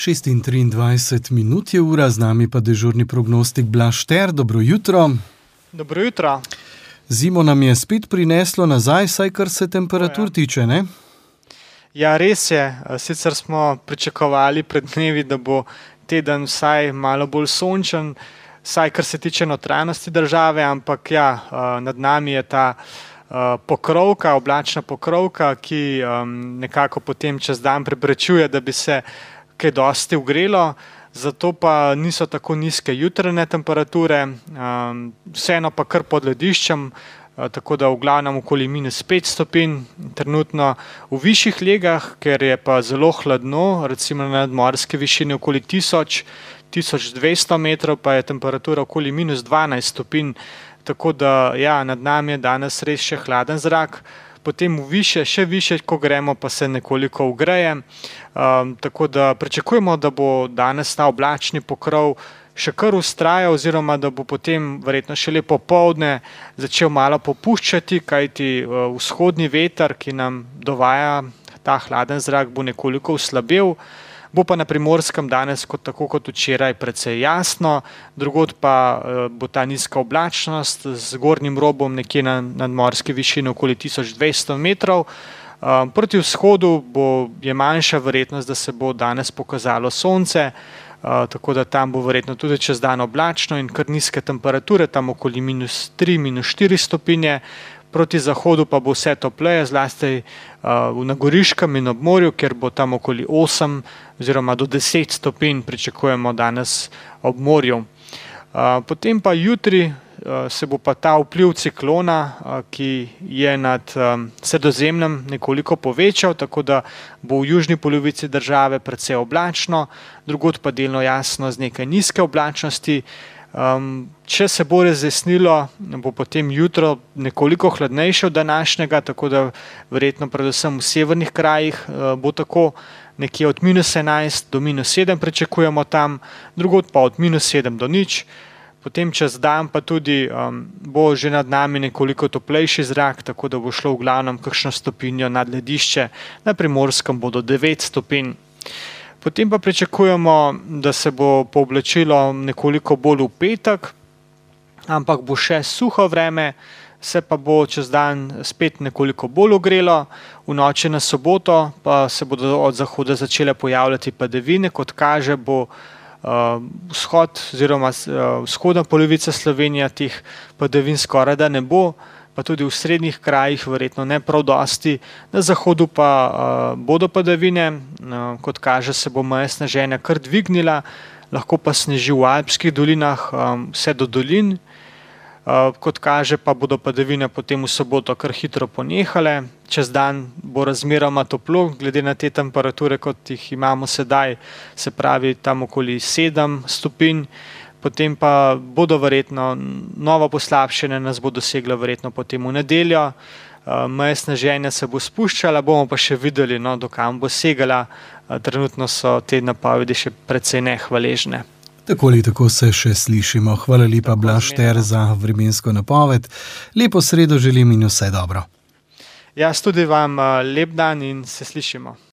6:23 je ura, z nami pa dežurni prognostik Blaž Šter. Dobro jutro. Dobro jutro. Zimo nam je spet prineslo nazaj, saj kar se temperatur tiče, ne? Ja, res je. Sicer smo pričakovali pred dnevi, da bo teden vsaj malo bolj sončen, vsaj kar se tiče notranjosti države, ampak ja, nad nami je ta pokrovka, oblačna pokrovka, ki nekako potem čez dan preprečuje, da bi se kaj dosti ugrelo, zato pa niso tako nizke jutranje temperature, vseeno pa kar pod lediščem, tako da v glavnem okoli -5 stopinj, trenutno v višjih legah, ker je pa zelo hladno, recimo na nadmorski višini okoli 1000-1200 metrov, pa je temperatura okoli -12 stopinj, tako da ja, nad nami je danes res še hladen zrak. Potem še više, ko gremo, pa se nekoliko ugreje, tako da pričakujemo, da bo danes ta oblačni pokrov še kar vztrajal, oziroma da bo potem verjetno šele popoldne začel malo popuščati, kajti vzhodni veter, ki nam dovaja ta hladen zrak, bo nekoliko oslabel. Bo pa na Primorskem danes, tako kot včeraj, precej jasno, drugod pa bo ta nizka oblačnost z gornjim robom nekje na nadmorski višini okoli 1200 metrov. Proti vzhodu je manjša verjetnost, da se bo danes pokazalo sonce, tako da tam bo verjetno tudi čez dan oblačno in kar nizke temperature, tam okoli -3, -4 stopinje. Proti zahodu pa bo vse topleje, zlasti na Goriškem in ob morju, kjer bo tam okoli 8 oziroma do 10 stopinj pričakujemo danes ob morju. Potem pa jutri se bo pa ta vpliv ciklona, ki je nad Sredozemljem, nekoliko povečal, tako da bo v južni polovici države precej oblačno, drugod pa delno jasno z nekaj nizke oblačnosti. Če se bo razjasnilo, bo potem jutro nekoliko hladnejše od današnjega, tako da verjetno predvsem v severnih krajih bo tako, nekje od -11 do -7 pričakujemo tam, drugod pa od -7 do 0. Potem čez dan pa tudi bo že nad nami nekoliko toplejši zrak, tako da bo šlo v glavnem kakšno stopinjo nad ledišče, na Primorskem bo do 9 stopinj. Potem pa pričakujemo, da se bo pooblačilo nekoliko bolj v petek, ampak bo še suho vreme, se pa bo čez dan spet nekoliko bolj ogrelo, v noči na soboto pa se bodo od zahoda začele pojavljati padavine, kot kaže bo vzhod oziroma vzhodna polovica Slovenije teh padavin skoraj da ne bo, pa tudi v srednjih krajih verjetno ne prav dosti, na zahodu pa bodo padavine, kot kaže se bo meja sneženja kar dvignila, lahko pa sneži v alpskih dolinah vse do dolin, kot kaže pa bodo padavine potem v soboto kar hitro ponehale, čez dan bo razmeroma toplo, glede na te temperature, kot jih imamo sedaj, se pravi tam okoli 7 stopinj, potem pa bodo verjetno nova poslabšanja, nas bo dosegla verjetno potem v nedeljo, meja sneženja se bo spuščala, bomo pa še videli, do kam bo segala, trenutno so te napovedi še precej nehvaležne. Tako ali tako se še slišimo. Hvala lepa, Blaž Šter, za vremensko napoved. Lepo sredo želim in vse dobro. Jaz tudi vam lep dan in se slišimo.